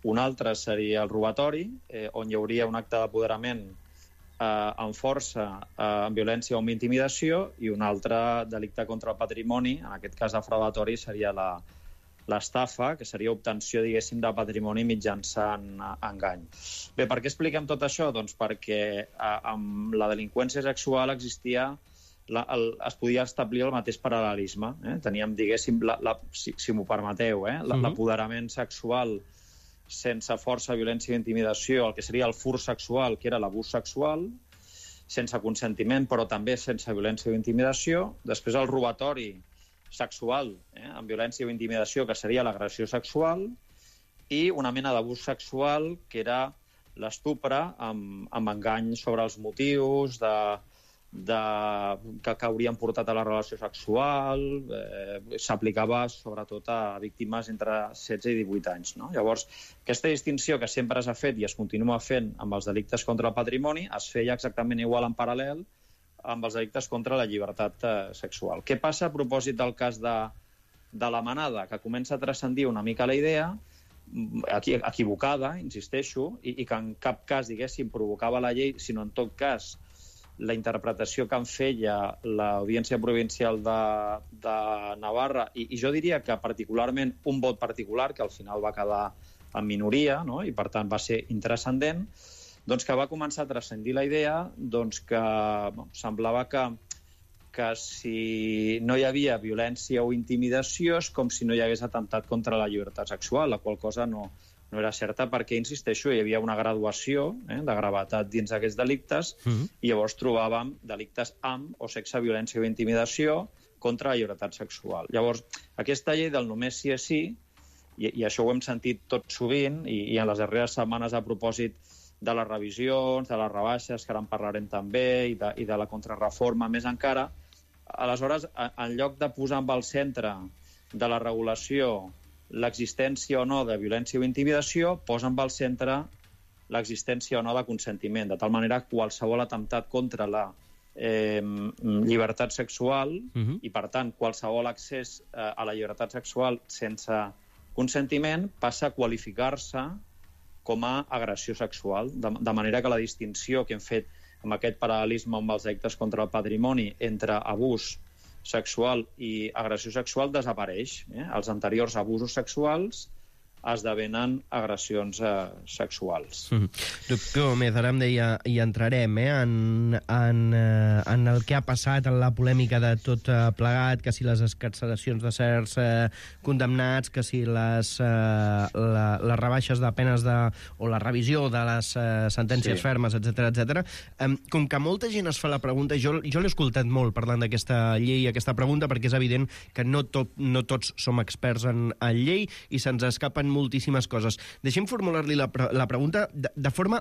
Un altre seria el robatori, eh, on hi hauria un acte d'apoderament eh, amb força, eh, amb violència o amb intimidació, i un altre delicte contra el patrimoni, en aquest cas defraudatori, seria la l'estafa, que seria obtenció, diguéssim, de patrimoni mitjançant engany. Bé, per què expliquem tot això? Doncs perquè eh, amb la delinqüència sexual existia, la, el, es podia establir el mateix paral·lelisme. Eh? Teníem, diguéssim, la, la, si, si m'ho permeteu, eh? l'apoderament sexual sense força, violència i intimidació, el que seria el furt sexual, que era l'abús sexual, sense consentiment, però també sense violència o intimidació. Després el robatori sexual, eh, amb violència o intimidació, que seria l'agressió sexual, i una mena d'abús sexual, que era l'estupre amb, amb engany sobre els motius de, de, que, que haurien portat a la relació sexual. Eh, s'aplicava sobretot a víctimes entre setze i divuit anys. No? Llavors, aquesta distinció que sempre s'ha fet i es continua fent amb els delictes contra el patrimoni es feia exactament igual en paral·lel amb els delictes contra la llibertat eh, sexual. Què passa a propòsit del cas de, de la manada, que comença a transcendir una mica la idea equivocada, insisteixo, i, i que en cap cas, diguéssim, provocava la llei, sinó en tot cas la interpretació que en feia l'Audiència Provincial de, de Navarra, i, i jo diria que particularment un vot particular, que al final va quedar en minoria, no? I per tant va ser intranscendent, doncs que va començar a transcendir la idea doncs que bon, semblava que, que si no hi havia violència o intimidació és com si no hi hagués atemptat contra la llibertat sexual, la qual cosa no, no era certa perquè, insisteixo, hi havia una graduació eh, de gravetat dins d'aquests delictes uh-huh. i llavors trobàvem delictes amb o sexe, violència o intimidació contra la llibertat sexual. Llavors, aquesta llei del només sí és sí, i, i això ho hem sentit tot sovint, i, i en les darreres setmanes a propòsit de les revisions, de les rebaixes, que ara en parlarem també, i de, i de la contrarreforma més encara, aleshores, en lloc de posar amb el centre de la regulació l'existència o no de violència o intimidació, posa en el centre l'existència o no de consentiment, de tal manera que qualsevol atemptat contra la eh, llibertat sexual uh-huh. i, per tant, qualsevol accés eh, a la llibertat sexual sense consentiment passa a qualificar-se com a agressió sexual, de, de manera que la distinció que hem fet amb aquest paral·lelisme amb els delictes contra el patrimoni entre abús sexual i agressió sexual desapareix. Eh? Els anteriors abusos sexuals esdevenen agressions eh, sexuals. Mm. Doctor Gómez, ara em deia, hi entrarem eh, en, en, eh, en el que ha passat, en la polèmica de tot eh, plegat, que si les excarceracions de certs eh, condemnats, que si les, eh, la, les rebaixes de penes de, o la revisió de les eh, sentències sí. fermes, etcètera, etcètera. Eh, com que molta gent es fa la pregunta, jo, jo l'he escoltat molt parlant d'aquesta llei, aquesta pregunta, perquè és evident que no, tot, no tots som experts en, en llei i se'ns escapen moltíssimes coses. Deixem formular-li la, pre la pregunta de, de forma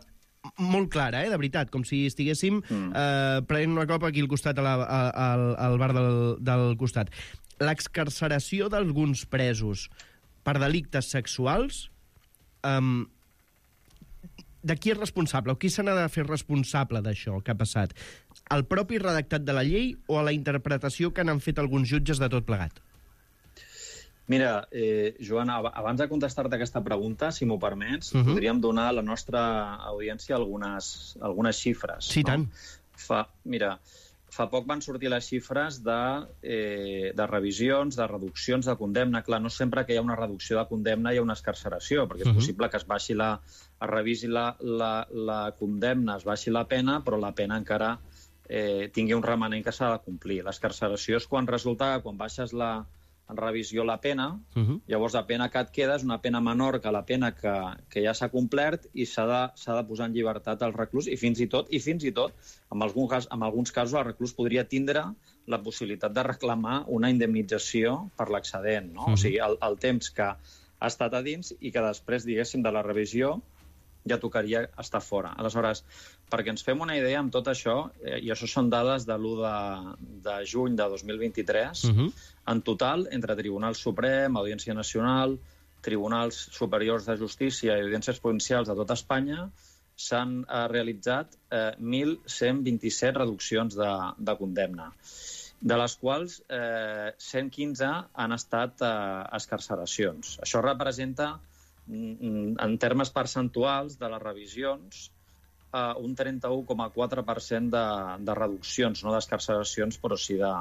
molt clara, eh, de veritat, com si estiguéssim mm. eh, prenent una copa aquí al costat, a la, a, al, al bar del, del costat. L'excarceració d'alguns presos per delictes sexuals, eh, de qui és responsable o qui se n'ha de fer responsable d'això que ha passat? Al propi redactat de la llei o a la interpretació que n'han fet alguns jutges de tot plegat? Mira, eh, Joan, abans de contestar-te aquesta pregunta, si m'ho permets, uh-huh. podríem donar a la nostra audiència algunes, algunes xifres. Sí, no? Tant. Fa, mira, fa poc van sortir les xifres de, eh, de revisions, de reduccions de condemna. Clar, no sempre que hi ha una reducció de condemna hi ha una excarceració, perquè és uh-huh. possible que es baixi la, es revisi la, la, la condemna, es baixi la pena, però la pena encara eh, tingui un remanent que s'ha de complir. L'excarceració és quan resulta que quan baixes la en revisió la pena, uh-huh. llavors la pena que et queda és una pena menor que la pena que, que ja s'ha complert i s'ha de, s'ha de posar en llibertat el reclús i fins i tot, i fins i tot en, algun cas, en alguns casos el reclús podria tindre la possibilitat de reclamar una indemnització per l'excedent, no? Uh-huh. O sigui, el, el temps que ha estat a dins i que després, diguéssim, de la revisió ja tocaria estar fora. Aleshores, perquè ens fem una idea amb tot això, eh, i això són dades de l'u de, de juny de dos mil vint-i-tres, uh-huh. en total, entre Tribunal Suprem, Audiència Nacional, Tribunals Superiors de Justícia i Audiències Provincials de tot Espanya, s'han eh, realitzat eh, mil cent vint-i-set reduccions de, de condemna, de les quals eh, cent quinze han estat eh, excarceracions. Això representa en termes percentuals de les revisions, eh, un trenta-u coma quatre per cent de, de reduccions, no d'excarceracions, però sí de,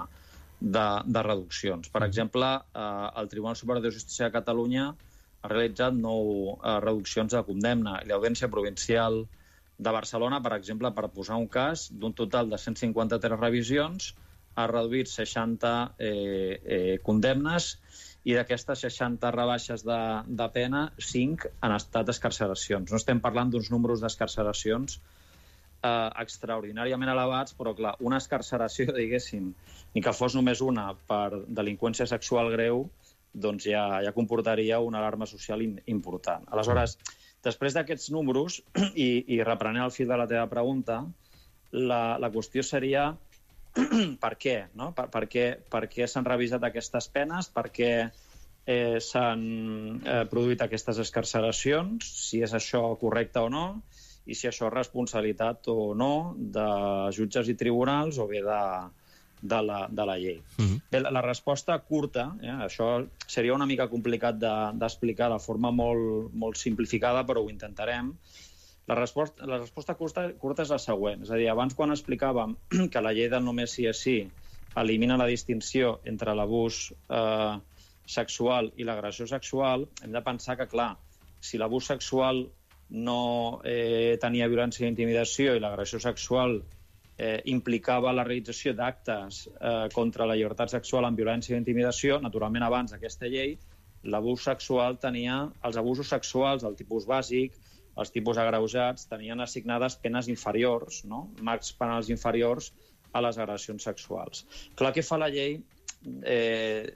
de, de reduccions. Per exemple, eh, el Tribunal Superior de Justícia de Catalunya ha realitzat nou eh, reduccions de condemna i l'Audiència Provincial de Barcelona, per exemple, per posar un cas, d'un total de cent cinquanta-tres revisions, ha reduït seixanta eh, eh, condemnes i d'aquestes seixanta rebaixes de, de pena, cinc han estat excarceracions. No estem parlant d'uns números d'excarceracions eh, extraordinàriament elevats, però clar, una excarceració, diguéssim, ni que fos només una per delinqüència sexual greu, doncs ja, ja comportaria una alarma social in, important. Aleshores, després d'aquests números, i, i reprenent el fil de la teva pregunta, la, la qüestió seria per què, no? Per, per què, per què s'han revisat aquestes penes, per què eh, s'han eh, produït aquestes excarceracions, si és això correcte o no, i si això és responsabilitat o no de jutges i tribunals o bé de, de la, de la llei. Uh-huh. Bé, la, la resposta curta, eh, això seria una mica complicat d'explicar de, de forma molt, molt simplificada, però ho intentarem. La resposta, la resposta curta, curta és la següent. És a dir, abans quan explicàvem que la llei del només sí és sí elimina la distinció entre l'abús eh, sexual i l'agressió sexual, hem de pensar que, clar, si l'abús sexual no eh, tenia violència i intimidació i l'agressió sexual eh, implicava la realització d'actes eh, contra la llibertat sexual amb violència i intimidació, naturalment abans d'aquesta llei, l'abús sexual tenia, els abusos sexuals del tipus bàsic, els tipus agreujats, tenien assignades penes inferiors, no? Marcs penals inferiors a les agressions sexuals. Clar, què fa la llei? Eh,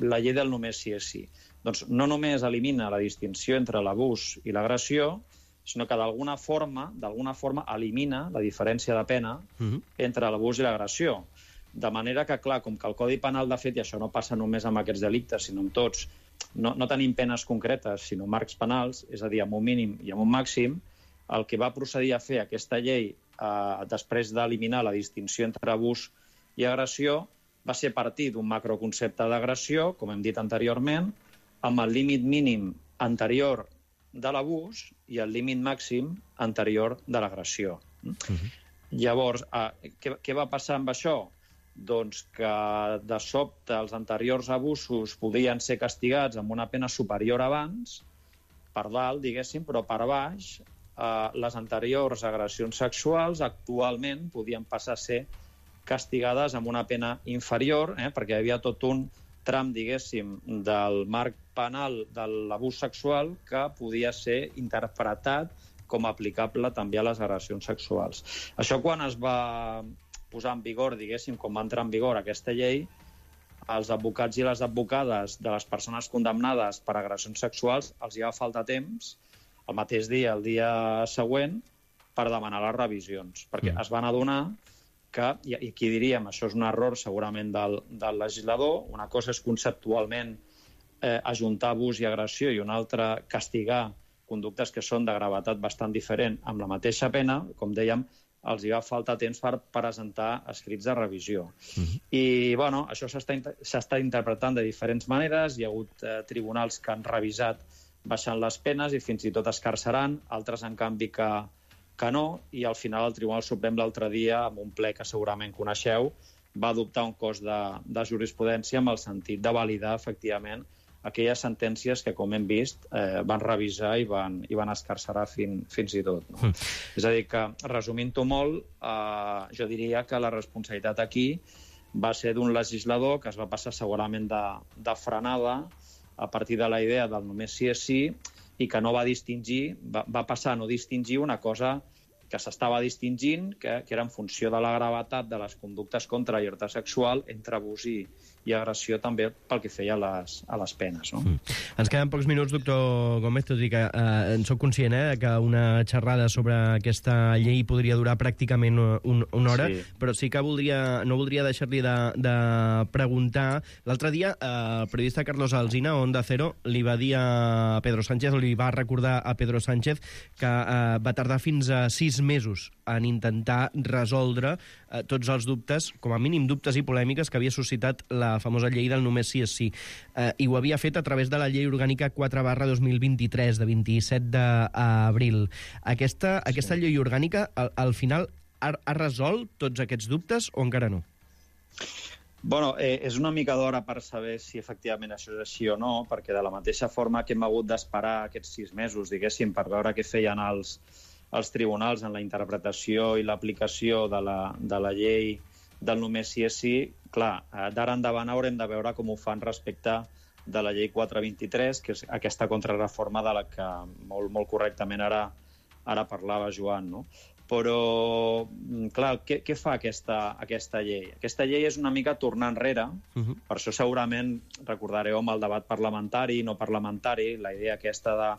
la llei del només sí és sí. Doncs no només elimina la distinció entre l'abús i l'agressió, sinó que d'alguna forma, d'alguna forma elimina la diferència de pena uh-huh. entre l'abús i l'agressió. De manera que, clar, com que el Codi Penal, de fet, i això no passa només amb aquests delictes, sinó amb tots, no, no tenim penes concretes, sinó marcs penals, és a dir, amb un mínim i amb un màxim, el que va procedir a fer aquesta llei eh, després d'eliminar la distinció entre abús i agressió va ser partir d'un macroconcepte d'agressió, com hem dit anteriorment, amb el límit mínim anterior de l'abús i el límit màxim anterior de l'agressió. Uh-huh. Llavors, eh, què, què va passar amb això? Doncs que de sobte els anteriors abusos podien ser castigats amb una pena superior abans, per dalt, diguéssim, però per baix, eh, les anteriors agressions sexuals actualment podien passar a ser castigades amb una pena inferior, eh, perquè hi havia tot un tram, diguéssim, del marc penal de l'abús sexual que podia ser interpretat com a aplicable també a les agressions sexuals. Això quan es va posar en vigor, diguéssim, com va entrar en vigor aquesta llei, els advocats i les advocades de les persones condemnades per agressions sexuals els hi va faltar temps, el mateix dia, el dia següent, per demanar les revisions, perquè mm. es van adonar que, i aquí diríem, això és un error segurament del, del legislador, una cosa és conceptualment eh, ajuntar abús i agressió i una altra castigar conductes que són de gravetat bastant diferent amb la mateixa pena, com dèiem, els hi va faltar temps per presentar escrits de revisió. Mm-hmm. I, bueno, això s'està interpretant de diferents maneres, hi ha hagut eh, tribunals que han revisat baixant les penes i fins i tot escarceraran, altres, en canvi, que que no, i al final el Tribunal Suprem l'altre dia, amb un ple que segurament coneixeu, va adoptar un cos de, de jurisprudència amb el sentit de validar, efectivament, aquelles sentències que, com hem vist, eh, van revisar i van, i van escarcerar fin, fins i tot. No? Mm. És a dir, que, resumint-ho molt, eh, jo diria que la responsabilitat aquí va ser d'un legislador que es va passar segurament de, de frenada a partir de la idea del només sí és sí, i que no va distingir, va, va passar a no distingir una cosa que s'estava distingint, que, que era en funció de la gravetat de les conductes contra la llibertat sexual entre abús i, i agressió també pel que feia a les, a les penes. No? Mm. Ens queden pocs minuts, doctor Gómez, tot i que eh, en soc conscient eh, que una xerrada sobre aquesta llei podria durar pràcticament un, una hora, sí. Però sí que voldria, no voldria deixar-li de, de preguntar. L'altre dia, eh, el periodista Carlos Alsina, Onda Cero, li va dir a Pedro Sánchez, o li va recordar a Pedro Sánchez, que eh, va tardar fins a sis mesos en intentar resoldre eh, tots els dubtes, com a mínim dubtes i polèmiques que havia suscitat la famosa llei del només sí és sí. Eh, I ho havia fet a través de la llei orgànica quatre barra dos mil vint-i-tres, de vint-i-set d'abril. Aquesta, sí. aquesta llei orgànica, al, al final, ha, ha resolt tots aquests dubtes o encara no? Bueno, eh, és una mica d'hora per saber si efectivament això és així o no, perquè de la mateixa forma que hem hagut d'esperar aquests sis mesos, diguéssim, per veure què feien els, els tribunals en la interpretació i l'aplicació de la, de la llei del només sí és sí, clar, d'ara endavant haurem de veure com ho fan respecte de la llei quatre vint-i-tres, que és aquesta contrarreforma de la que molt, molt correctament ara, ara parlava Joan, no? Però, clar, què, què fa aquesta, aquesta llei? Aquesta llei és una mica tornar enrere, uh-huh. Per això segurament recordareu amb el debat parlamentari, no parlamentari, la idea aquesta de,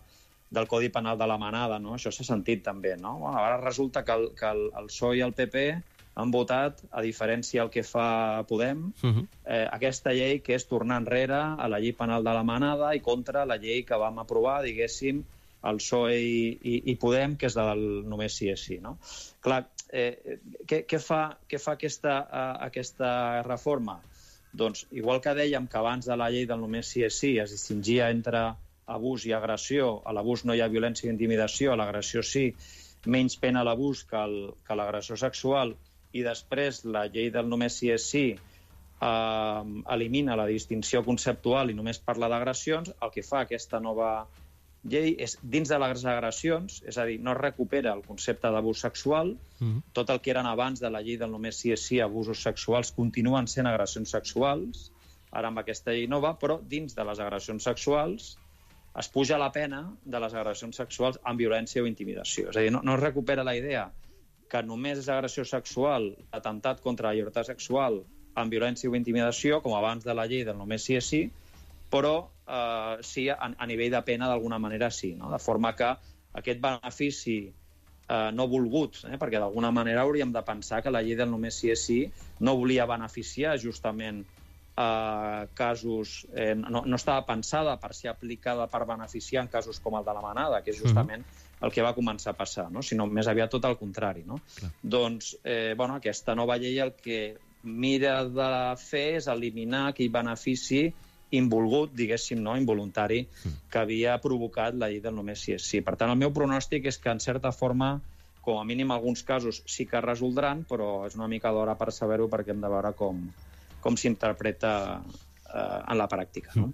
del Codi Penal de la manada, no? Això s'ha sentit també, no? Bueno, ara resulta que el, que el, el P S O E i el P P han votat, a diferència del que fa Podem, uh-huh. eh, aquesta llei que és tornar enrere a la llei penal de la manada i contra la llei que vam aprovar, diguéssim, el P S O E i, i, i Podem, que és del només sí és sí. No? Clar, eh, què, què fa, què fa aquesta, uh, aquesta reforma? Doncs, igual que dèiem que abans de la llei del només sí és sí es distingia entre abús i agressió, a l'abús no hi ha violència i intimidació, a l'agressió sí, menys pena a l'abús que, el, que l'agressió sexual, i després la llei del només sí és sí eh, elimina la distinció conceptual i només parla d'agressions, el que fa aquesta nova llei és, dins de les agressions, és a dir, no es recupera el concepte d'abús sexual, mm-hmm. tot el que eren abans de la llei del només sí és sí, abusos sexuals, continuen sent agressions sexuals, ara amb aquesta llei nova, però dins de les agressions sexuals es puja la pena de les agressions sexuals amb violència o intimidació. És a dir, no, no es recupera la idea que només és agressió sexual, atemptat contra la llibertat sexual amb violència o intimidació, com abans de la llei del només sí és sí, però eh, sí, a, a nivell de pena d'alguna manera sí, no? De forma que aquest benefici eh, no volgut, eh, perquè d'alguna manera hauríem de pensar que la llei del només sí és sí no volia beneficiar justament eh, casos, eh, no, no estava pensada per ser aplicada per beneficiar en casos com el de la manada, que és justament el que va començar a passar, no? Sinó més aviat tot el contrari. No? Doncs eh, bueno, aquesta nova llei el que mira de fer és eliminar aquell benefici involgut, diguéssim, no? Involuntari, que havia provocat la llei del només sí és sí. Per tant, el meu pronòstic és que, en certa forma, com a mínim alguns casos sí que es resoldran, però és una mica d'hora per saber-ho perquè hem de veure com, com s'interpreta eh, en la pràctica. No?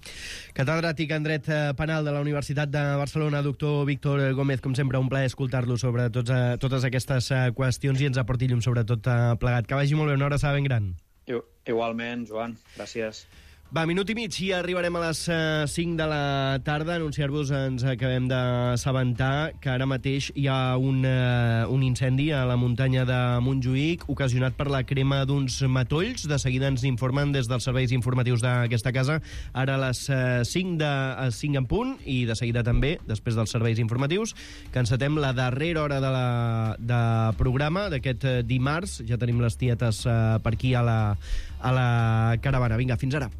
Catedràtic en Dret Penal de la Universitat de Barcelona, doctor Víctor Gómez, com sempre, un plaer escoltar-lo sobre tots, uh, totes aquestes uh, qüestions i ens aporti llum sobre tot uh, plegat. Que vagi molt bé, una abraçada ben gran. I, igualment, Joan, gràcies. Va, minut i mig i arribarem a les uh, cinc de la tarda. Anunciar-vos, ens acabem d'assabentar que ara mateix hi ha un, uh, un incendi a la muntanya de Montjuïc ocasionat per la crema d'uns matolls. De seguida ens informen des dels serveis informatius d'aquesta casa. Ara a les uh, cinc, de, a cinc en punt i de seguida també, després dels serveis informatius, que encetem la darrera hora de, la, de programa d'aquest uh, dimarts. Ja tenim les tietes uh, per aquí a la, a la caravana. Vinga, fins ara.